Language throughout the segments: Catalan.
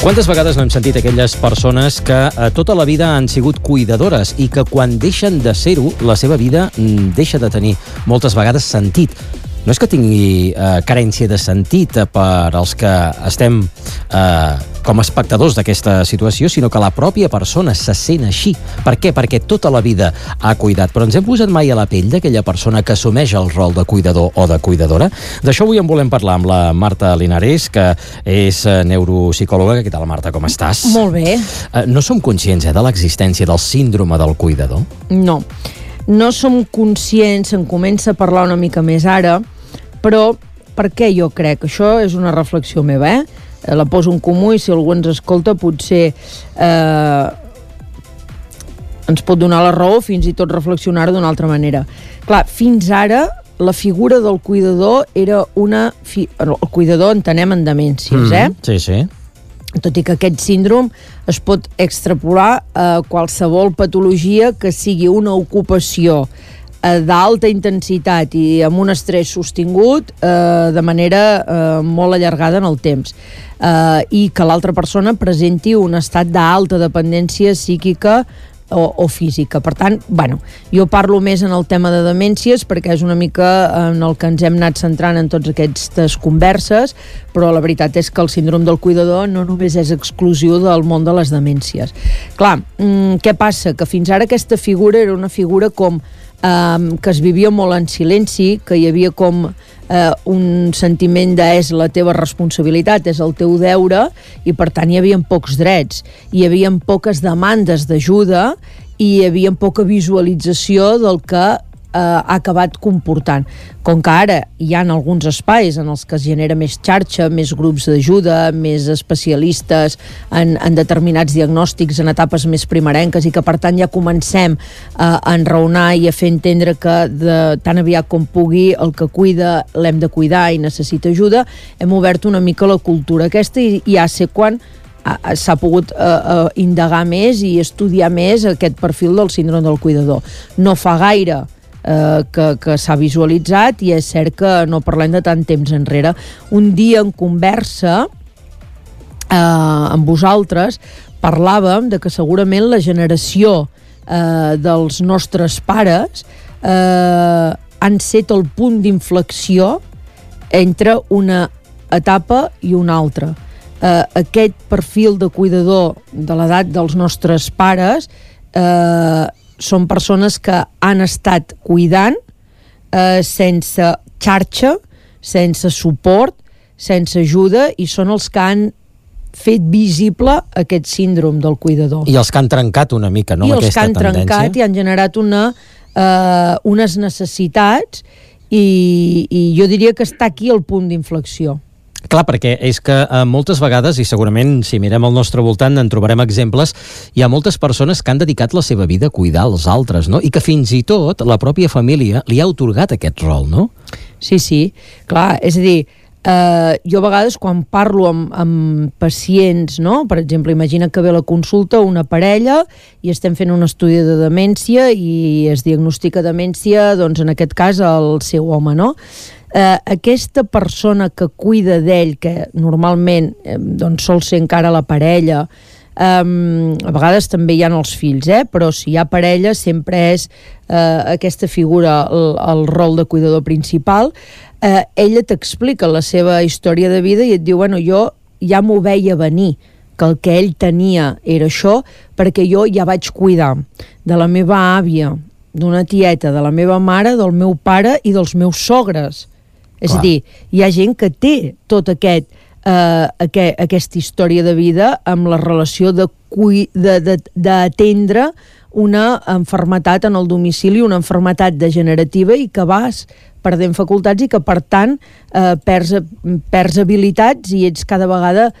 Quantes vegades no hem sentit aquelles persones que tota la vida han sigut cuidadores i que quan deixen de ser-ho, la seva vida deixa de tenir moltes vegades sentit. No és que tingui carència de sentit per als que estem com a espectadors d'aquesta situació, sinó que la pròpia persona se sent així. Per què? Perquè tota la vida ha cuidat. Però ens hem posat mai a la pell d'aquella persona que assumeix el rol de cuidador o de cuidadora? D'això avui en volem parlar amb la Marta Linares, que és neuropsicòloga. Què tal, Marta, com estàs? Molt bé. No som conscients de l'existència del síndrome del cuidador? No som conscients, en comença a parlar una mica més ara, però per què jo crec? Això és una reflexió meva, la poso en comú i si algú ens escolta potser ens pot donar la raó, fins i tot reflexionar d'una altra manera. Clar, fins ara la figura del cuidador era el cuidador entenem en demències, Sí, sí. Tot i que aquest síndrome es pot extrapolar a qualsevol patologia que sigui una ocupació d'alta intensitat i amb un estrès sostingut de manera molt allargada en el temps i que l'altra persona presenti un estat d'alta dependència psíquica o física. Per tant, jo parlo més en el tema de demències perquè és una mica en el que ens hem anat centrant en totes aquestes converses, però la veritat és que el síndrome del cuidador no només és exclusiu del món de les demències. Clar, què passa? Que fins ara aquesta figura era una figura com que es vivia molt en silenci, que hi havia com un sentiment de és la teva responsabilitat, és el teu deure, i per tant hi havia pocs drets, hi havia poques demandes d'ajuda i hi havia poca visualització del que ha acabat comportant. Com que ara hi ha alguns espais en els que es genera més xarxa, més grups d'ajuda, més especialistes en determinats diagnòstics en etapes més primerenques i que per tant ja comencem a enraonar i a fer entendre que tan aviat com pugui el que cuida l'hem de cuidar i necessita ajuda, hem obert una mica la cultura aquesta i ja sé quan s'ha pogut indagar més i estudiar més aquest perfil del síndrome del cuidador. No fa gaire que s'ha visualitzat i és cert que no parlem de tant temps enrere. Un dia en conversa amb vosaltres parlàvem de que segurament la generació dels nostres pares han set el punt d'inflexió entre una etapa i una altra. Aquest perfil de cuidador de l'edat dels nostres pares són persones que han estat cuidant sense xarxa, sense suport, sense ajuda i són els que han fet visible aquest síndrome del cuidador. I els que han trencat una mica, no? I els que han trencat i han generat unes necessitats i jo diria que està aquí el punt d'inflexió. Clar, perquè és que moltes vegades, i segurament si mirem al nostre voltant en trobarem exemples, hi ha moltes persones que han dedicat la seva vida a cuidar els altres, no? I que fins i tot la pròpia família li ha atorgat aquest rol, no? Sí, clar, és a dir, jo a vegades quan parlo amb pacients, no? Per exemple, imagina que ve a la consulta una parella i estem fent un estudi de demència i es diagnostica demència, doncs en aquest cas el seu home, no? Aquesta persona que cuida d'ell, que normalment doncs sol ser encara la parella, a vegades també hi ha els fills, però si hi ha parella sempre és aquesta figura el rol de cuidador principal. Ella t'explica la seva història de vida i et diu, jo ja m'ho veia venir, que el que ell tenia era això, perquè jo ja vaig cuidar de la meva àvia, d'una tieta, de la meva mare, del meu pare i dels meus sogres. És a dir, hi ha gent que té tot aquesta història de vida amb la relació d'atendre una malaltia en el domicili, una malaltia degenerativa i que vas perdent facultats i que per tant perds habilitats i ets cada vegada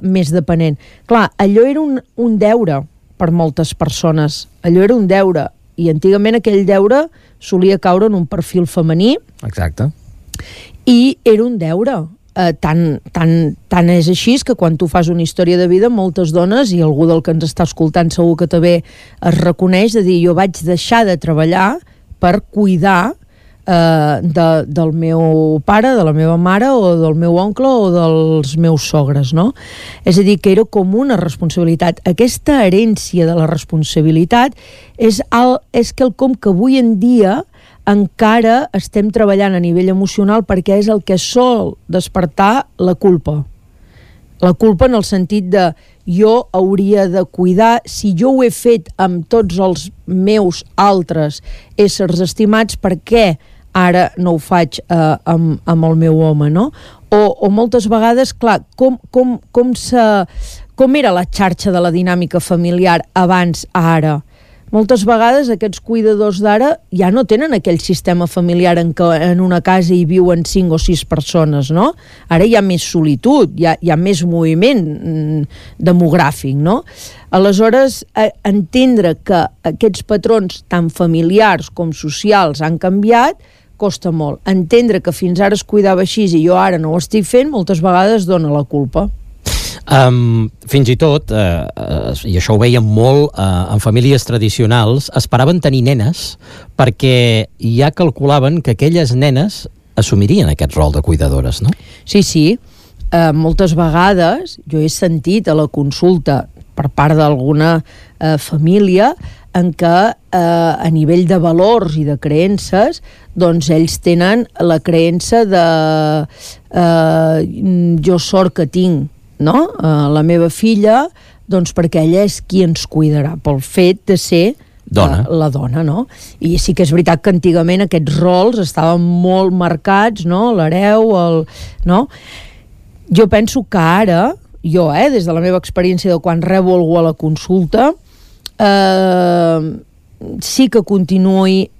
més dependent. Clar, allò era un deure per moltes persones, allò era un deure i antigament aquell deure solia caure en un perfil femení. Exacte. I era un deure. Tant és així que quan tu fas una història de vida, moltes dones, i algú del que ens està escoltant segur que també es reconeix, de dir, jo vaig deixar de treballar per cuidar del meu pare, de la meva mare o del meu oncle o dels meus sogres, no? És a dir, que era com una responsabilitat. Aquesta herència de la responsabilitat és quelcom que avui en dia encara estem treballant a nivell emocional, perquè és el que sol despertar la culpa. La culpa en el sentit de jo hauria de cuidar, si jo ho he fet amb tots els meus altres éssers estimats, per què ara no ho faig amb el meu home, no? O moltes vegades, clar, com era la xarxa de la dinàmica familiar abans a ara? Moltes vegades aquests cuidadors d'ara ja no tenen aquell sistema familiar en què en una casa hi viuen 5 o 6 persones, no? Ara hi ha més solitud, hi ha més moviment demogràfic, no? Aleshores, entendre que aquests patrons tan familiars com socials han canviat costa molt. Entendre que fins ara es cuidava així i jo ara no ho estic fent, moltes vegades dona la culpa. Fins i tot, i això ho veiem molt en famílies tradicionals, esperaven tenir nenes perquè ja calculaven que aquelles nenes assumirien aquest rol de cuidadores, no? Sí. Moltes vegades jo he sentit a la consulta per part d'alguna família en què a nivell de valors i de creences doncs ells tenen la creença de jo sort que tinc, no? La meva filla, doncs perquè ella és qui ens cuidarà, pel fet de ser la dona, no? I sí que és veritat que antigament aquests rols estaven molt marcats, no? L'hereu, no? Jo penso que ara, des de la meva experiència de quan rebo algú a la consulta, sí que continuï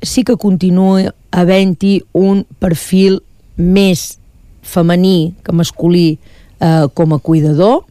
havent-hi un perfil més femení que masculí com a cuidador,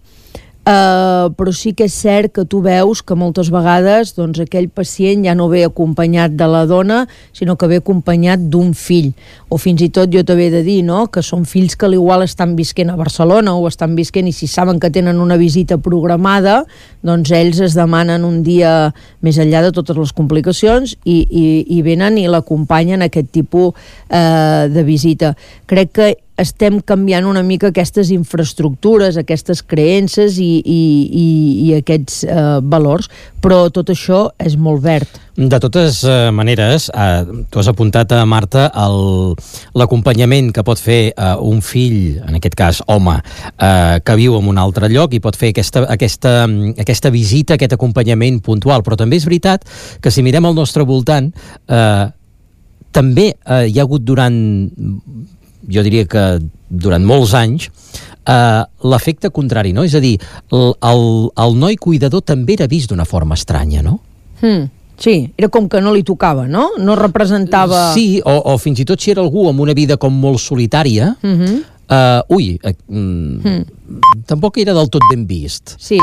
però sí que és cert que tu veus que moltes vegades doncs, aquell pacient ja no ve acompanyat de la dona, sinó que ve acompanyat d'un fill, o fins i tot jo t'he de dir, no?, que són fills que igual estan visquent a Barcelona o estan visquent, i si saben que tenen una visita programada, doncs ells es demanen un dia més enllà de totes les complicacions i venen i l'acompanyen aquest tipus de visita. Crec que estem canviant una mica aquestes infraestructures, aquestes creences i aquests valors, però tot això és molt verd. De totes maneres, tu has apuntat, Marta, l'acompanyament que pot fer un fill, en aquest cas home, que viu en un altre lloc i pot fer aquesta visita, aquest acompanyament puntual, però també és veritat que si mirem al nostre voltant, també hi ha hagut jo diria que durant molts anys, l'efecte contrari, no? És a dir, el noi cuidador també era vist d'una forma estranya, no? Sí, era com que no li tocava, no? No representava... Sí, o fins i tot si era algú amb una vida com molt solitària, tampoc era del tot ben vist. Sí.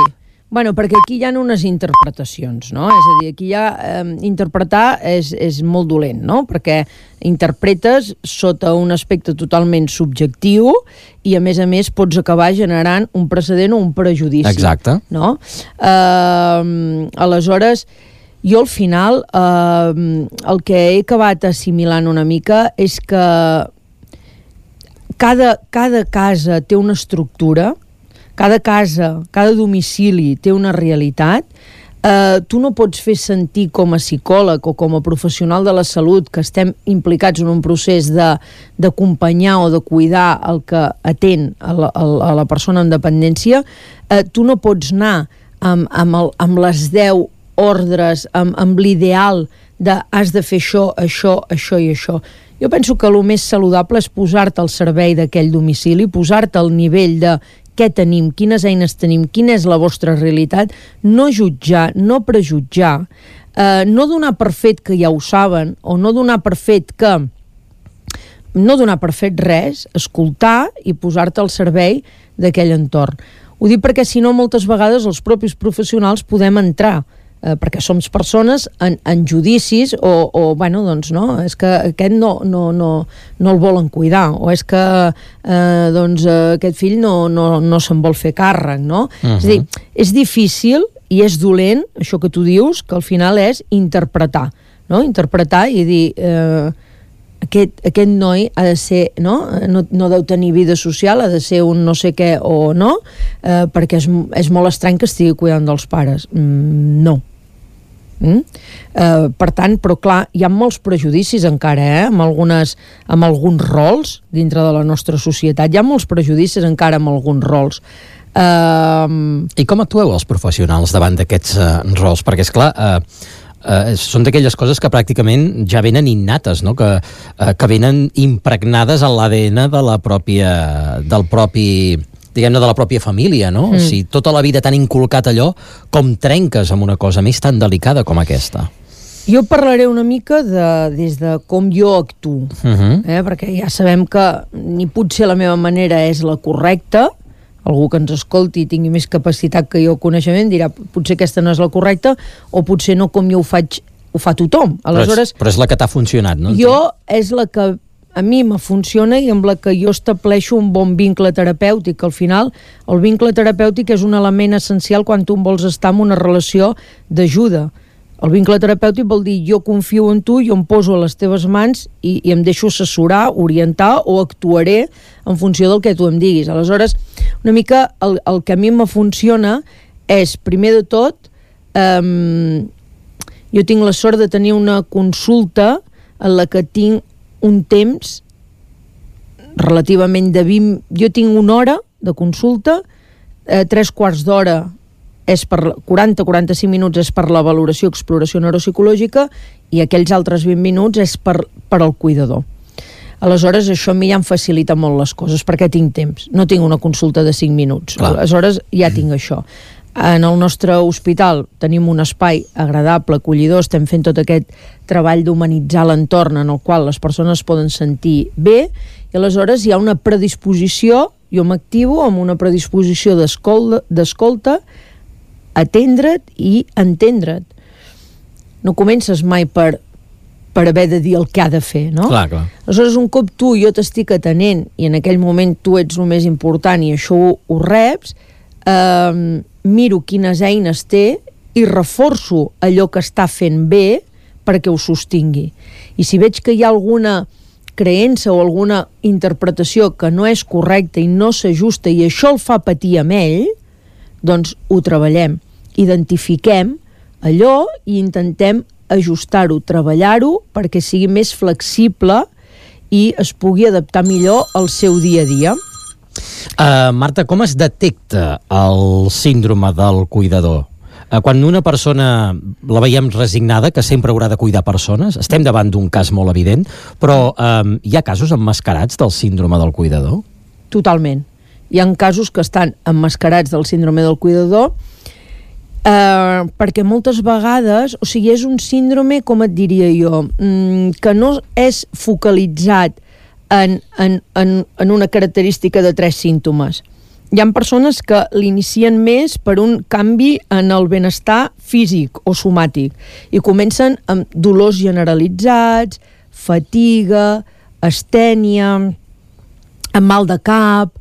Bueno, perquè aquí hi ha unes interpretacions, no? És a dir, aquí interpretar és molt dolent, no? Perquè interpretes sota un aspecte totalment subjectiu i, a més, pots acabar generant un precedent o un prejudici. Exacte. No? Aleshores, jo al final el que he acabat assimilant una mica és que cada casa té una estructura, cada casa, cada domicili té una realitat. Tu no pots fer sentir com a psicòleg o com a professional de la salut que estem implicats en un procés d'acompanyar o de cuidar el que atén a la persona amb dependència. Tu no pots anar amb les 10 ordres, amb l'ideal de has de fer això, això, això i això. Jo penso que el més saludable és posar-te al servei d'aquell domicili, posar-te al nivell de què tenim, quines eines tenim, quina és la vostra realitat, no jutjar, no prejutjar, no donar per fet que ja ho saben, o no donar per fet res, escoltar i posar-te al servei d'aquell entorn. Ho dic perquè si no moltes vegades els propis professionals podem entrar, perquè som persones en judicis bueno, doncs no, és que aquest no el volen cuidar, o és que doncs aquest fill no se'n vol fer càrrec, no? És a dir, és difícil i és dolent, això que tu dius, que al final és interpretar, no? Interpretar i dir aquest noi ha de ser, no deu tenir vida social, ha de ser un no sé què o no, perquè és molt estrany que estigui cuidant dels pares. No. Per tant, però clar, hi ha molts prejudicis encara, amb alguns rols dintre de la nostra societat. Hi ha molts prejudicis encara amb alguns rols. I com actueu els professionals davant d'aquests rols? Perquè, esclar, són d'aquelles coses que pràcticament ja venen innates, no? Que venen impregnades a l'ADN de la pròpia família, no? Si tota la vida t'han inculcat allò, com trenques amb una cosa més tan delicada com aquesta? Jo parlaré una mica des de com jo actuo, perquè ja sabem que ni potser la meva manera és la correcta. Algú que ens escolti i tingui més capacitat que jo coneixement dirà potser aquesta no és la correcta o potser no com jo ho fa tothom. Aleshores, però és la que t'ha funcionat, no? Jo és la que a mi me funciona i amb la que jo estableixo un bon vincle terapèutic. Al final, el vincle terapèutic és un element essencial quan tu vols estar en una relació d'ajuda. El vincle terapèutic vol dir jo confio en tu, jo em poso a les teves mans i em deixo assessorar, orientar o actuaré en funció del que tu em diguis. Aleshores, una mica el que a mi me funciona és, primer de tot, jo tinc la sort de tenir una consulta en la que tinc un temps relativament de 20... Jo tinc una hora de consulta, 3/4 d'hora és per 40-45 minuts és per la valoració, exploració neuropsicològica i aquells altres 20 minuts és per al cuidador. Aleshores, això a mi ja em facilita molt les coses perquè tinc temps. No tinc una consulta de 5 minuts. Clar. Aleshores, ja tinc això. En el nostre hospital tenim un espai agradable, acollidor, estem fent tot aquest treball d'humanitzar l'entorn en el qual les persones poden sentir bé i aleshores hi ha una predisposició, jo m'activo amb una predisposició d'escolta, atendre't i entendre't. No comences mai per haver de dir el que ha de fer, no? Clar. Aleshores, un cop jo t'estic atenent i en aquell moment tu ets el més important i això ho reps, miro quines eines té i reforço allò que està fent bé perquè ho sostingui. I si veig que hi ha alguna creença o alguna interpretació que no és correcta i no s'ajusta i això el fa patir amb ell, doncs ho treballem, identifiquem allò i intentem ajustar-ho, treballar-ho perquè sigui més flexible i es pugui adaptar millor al seu dia a dia. Marta, com es detecta el síndrome del cuidador? Quan una persona la veiem resignada, que sempre haurà de cuidar persones, estem davant d'un cas molt evident, però hi ha casos emmascarats del síndrome del cuidador? Totalment. Hi ha casos que estan emmascarats del síndrome del cuidador perquè moltes vegades, o sigui, és un síndrome, com et diria jo, que no és focalitzat en una característica de 3 símptomes. Hi ha persones que l'inicien més per un canvi en el benestar físic o somàtic i comencen amb dolors generalitzats, fatiga, astènia, amb mal de cap,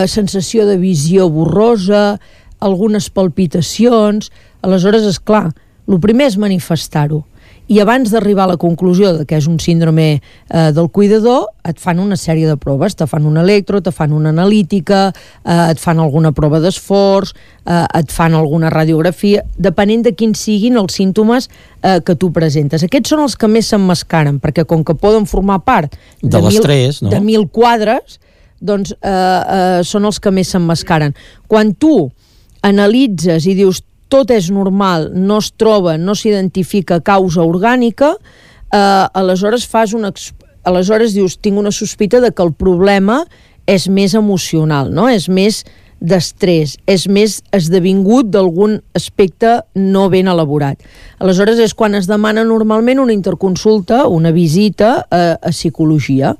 sensació de visió borrosa, algunes palpitacions. Aleshores, és clar, el primer és manifestar-ho. I abans d'arribar a la conclusió de que és un síndrome del cuidador, et fan una sèrie de proves, te fan un electro, te fan una analítica, et fan alguna prova d'esforç, et fan alguna radiografia, depenent de quins siguin els símptomes que tu presentes. Aquests són els que més s'emmascaren, perquè com que poden formar part de l'estrès, no? De 1.000 quadres, doncs són els que més s'emmascaren. Quan tu analitzes i dius tot és normal, no es troba, no s'identifica causa orgànica, aleshores aleshores dius, tinc una sospita de que el problema és més emocional, no? És més d'estrès, és més esdevingut d'algun aspecte no ben elaborat. Aleshores és quan es demana normalment una interconsulta, una visita a psicologia.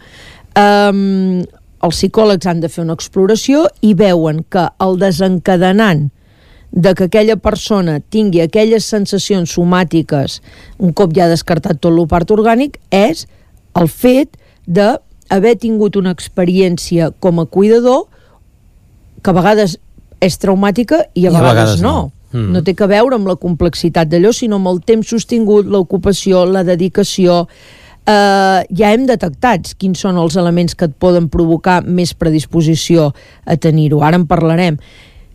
Els psicòlegs han de fer una exploració i veuen que el desencadenant de que aquella persona tingui aquelles sensacions somàtiques un cop ja descartat tot el part orgànic és el fet d'haver tingut una experiència com a cuidador que a vegades és traumàtica i a vegades no. No té que veure amb la complexitat d'allò, sinó amb el temps sostingut, l'ocupació, la dedicació. ja hem detectat quins són els elements que et poden provocar més predisposició a tenir-ho. Ara en parlarem.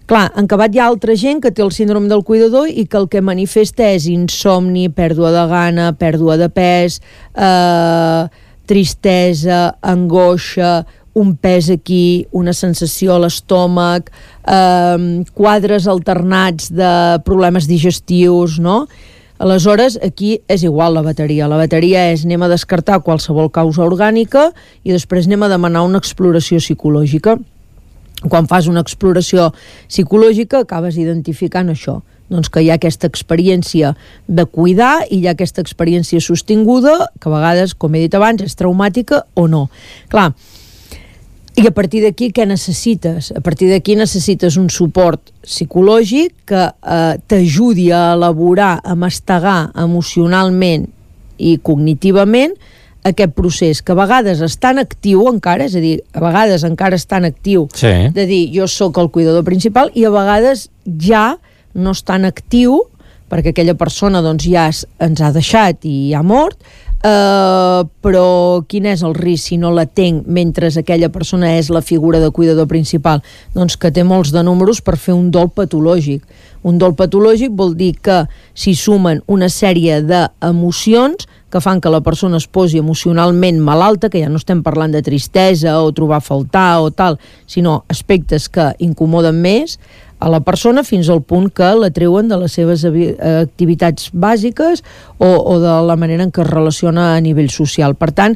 Clar, en acabat hi ha altra gent que té el síndrome del cuidador i que el que manifesta és insomni, pèrdua de gana, pèrdua de pes, tristesa, angoixa, un pes aquí, una sensació a l'estómac, quadres alternats de problemes digestius, no? Aleshores, aquí és igual la bateria. La bateria és anem a descartar qualsevol causa orgànica i després anem a demanar una exploració psicològica. Quan fas una exploració psicològica acabes identificant això, doncs que hi ha aquesta experiència de cuidar i hi ha aquesta experiència sostinguda que a vegades, com he dit abans, és traumàtica o no. Clar, i a partir d'aquí què necessites? A partir d'aquí necessites un suport psicològic que t'ajudi a elaborar, a mastegar emocionalment i cognitivament aquest procés, que a vegades està en actiu encara, és a dir, a vegades encara està en actiu, de dir jo sóc el cuidador principal, i a vegades ja no està en actiu perquè aquella persona doncs ja ens ha deixat i ha mort, però quin és el risc si no la tenc mentre aquella persona és la figura de cuidador principal? Doncs que té molts de números per fer un dol patològic. Un dol patològic vol dir que s'hi sumen una sèrie d'emocions que fan que la persona es posi emocionalment malalta, que ja no estem parlant de tristesa o trobar a faltar o tal, sinó aspectes que incomoden més a la persona fins al punt que la treuen de les seves activitats bàsiques o de la manera en què es relaciona a nivell social. Per tant,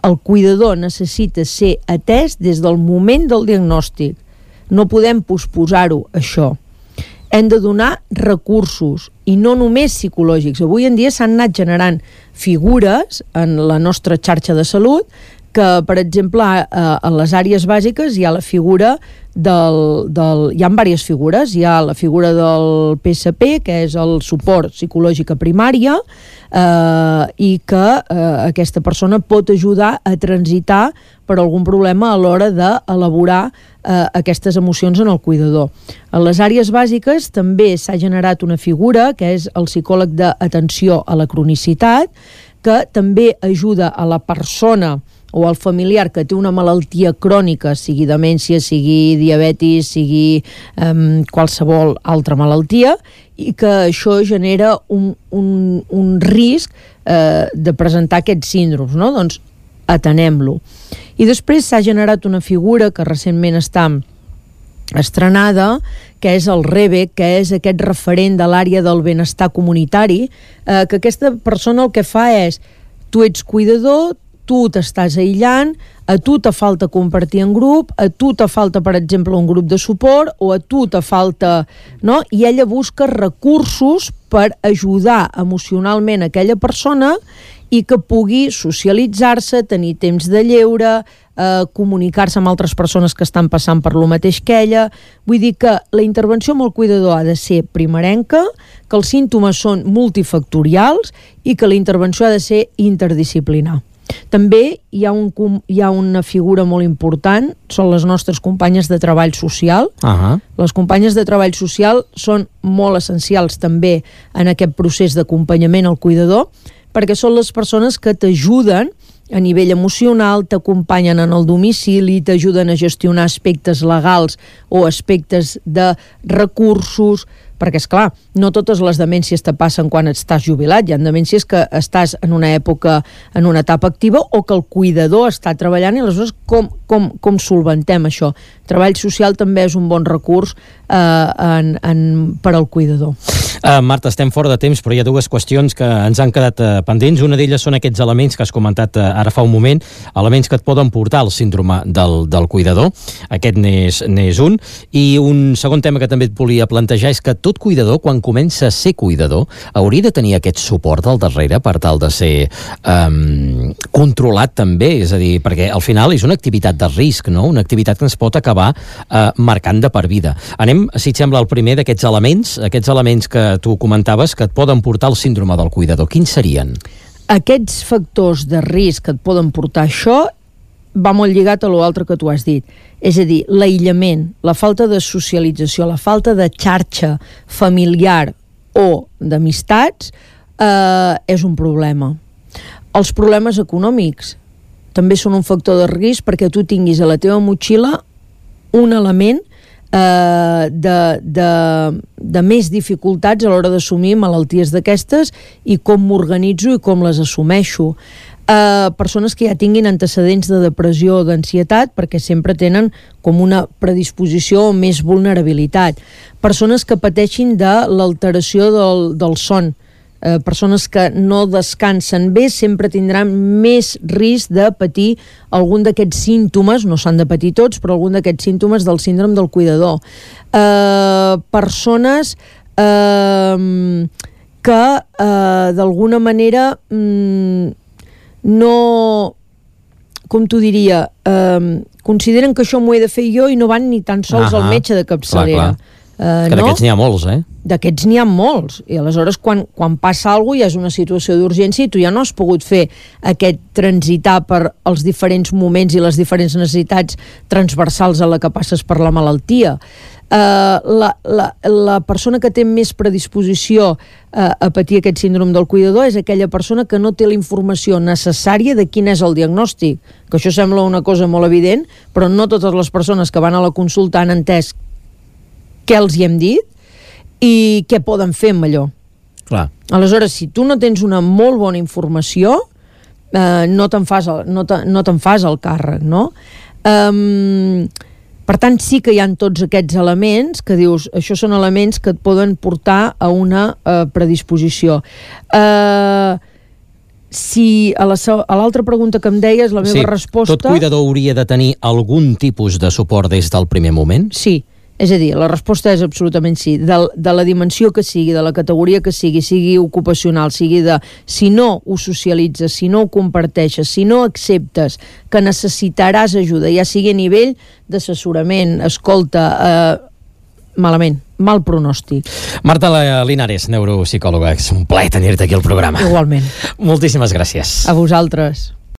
el cuidador necessita ser atès des del moment del diagnòstic. No podem posposar-ho, això. Hem de donar recursos, i no només psicològics. Avui en dia s'han anat generant figures en la nostra xarxa de salut que, per exemple, a les àrees bàsiques hi ha la figura hi ha diverses figures. Hi ha la figura del PSP, que és el suport psicològic a primària, i que aquesta persona pot ajudar a transitar per algun problema a l'hora d'elaborar aquestes emocions en el cuidador. A les àrees bàsiques també s'ha generat una figura, que és el psicòleg d'atenció a la cronicitat, que també ajuda a la persona o al familiar que té una malaltia crònica, sigui demència, sigui diabetis, sigui qualsevol altra malaltia, i que això genera un risc de presentar aquests síndromes, no? Doncs atenem-lo. I després s'ha generat una figura que recentment està estrenada, que és el REBE, que és aquest referent de l'àrea del benestar comunitari, que aquesta persona el que fa és, tu ets cuidador, tu t'estàs aïllant, a tu te falta compartir en grup, a tu te falta, per exemple, un grup de suport, o a tu te falta... no? I ella busca recursos per ajudar emocionalment aquella persona i que pugui socialitzar-se, tenir temps de lleure, comunicar-se amb altres persones que estan passant per lo mateix que ella. Vull dir que la intervenció amb el cuidador ha de ser primerenca, que els símptomes són multifactorials i que la intervenció ha de ser interdisciplinar. També hi ha una figura molt important, són les nostres companyes de treball social. Les companyes de treball social són molt essencials també en aquest procés d'acompanyament al cuidador, perquè són les persones que t'ajuden a nivell emocional, t'acompanyen en el domicili, t'ajuden a gestionar aspectes legals o aspectes de recursos, perquè, esclar, no totes les demències te passen quan estàs jubilat. Hi ha demències que estàs en una època, en una etapa activa, o que el cuidador està treballant, i aleshores com solventem això? Treball social també és un bon recurs per al cuidador. Marta, estem fora de temps, però hi ha dues qüestions que ens han quedat pendents. Una d'elles són aquests elements que has comentat ara fa un moment, elements que et poden portar al síndrome del cuidador. Aquest n'és un. I un segon tema que també et volia plantejar és que tot cuidador, quan comença a ser cuidador, hauria de tenir aquest suport al darrere per tal de ser controlat també, és a dir, perquè al final és una activitat de risc, no? Una activitat que ens pot acabar marcant de per vida. Anem, si et sembla, al primer d'aquests elements que tu comentaves que et poden portar al síndrome del cuidador. Quins serien? Aquests factors de risc que et poden portar això va molt lligat a l'altre que tu has dit. És a dir, l'aïllament, la falta de socialització, la falta de xarxa familiar o d'amistats és un problema. Els problemes econòmics també són un factor de risc perquè tu tinguis a la teva motxilla un element de més dificultats a l'hora d'assumir malalties d'aquestes i com m'organitzo i com les assumeixo. Persones que ja tinguin antecedents de depressió o d'ansietat perquè sempre tenen com una predisposició o més vulnerabilitat. Persones que pateixin de l'alteració del son. Persones que no descansen bé sempre tindran més risc de patir algun d'aquests símptomes, no s'han de patir tots, però algun d'aquests símptomes del síndrome del cuidador. Persones que d'alguna manera no, com t'ho diria, consideren que això m'ho he de fer jo i no van ni tan sols al metge de capçalera. Que d'aquests n'hi ha molts, D'aquests n'hi ha molts, i aleshores quan passa alguna cosa ja és una situació d'urgència i tu ja no has pogut fer aquest transitar per els diferents moments i les diferents necessitats transversals a la que passes per la malaltia. La persona que té més predisposició a patir aquest síndrome del cuidador és aquella persona que no té la informació necessària de quin és el diagnòstic, que això sembla una cosa molt evident, però no totes les persones que van a la consulta han entès què els hi hem dit i què poden fer amb allò. Clar. Aleshores, si tu no tens una molt bona informació, no te'n fas el càrrec, no? Per tant, sí que hi ha tots aquests elements que dius, això són elements que et poden portar a una predisposició. Si a l'altra pregunta que em deies, la meva resposta... Tot cuidador hauria de tenir algun tipus de suport des del primer moment? Sí. És a dir, la resposta és absolutament sí. De la dimensió que sigui, de la categoria que sigui ocupacional, sigui de... Si no ho socialitzes, si no ho comparteixes, si no acceptes que necessitaràs ajuda, ja sigui a nivell d'assessorament, escolta, malament, mal pronòstic. Marta Linares, neuropsicòloga, és un plaer tenir-te aquí al programa. Igualment. Moltíssimes gràcies. A vosaltres.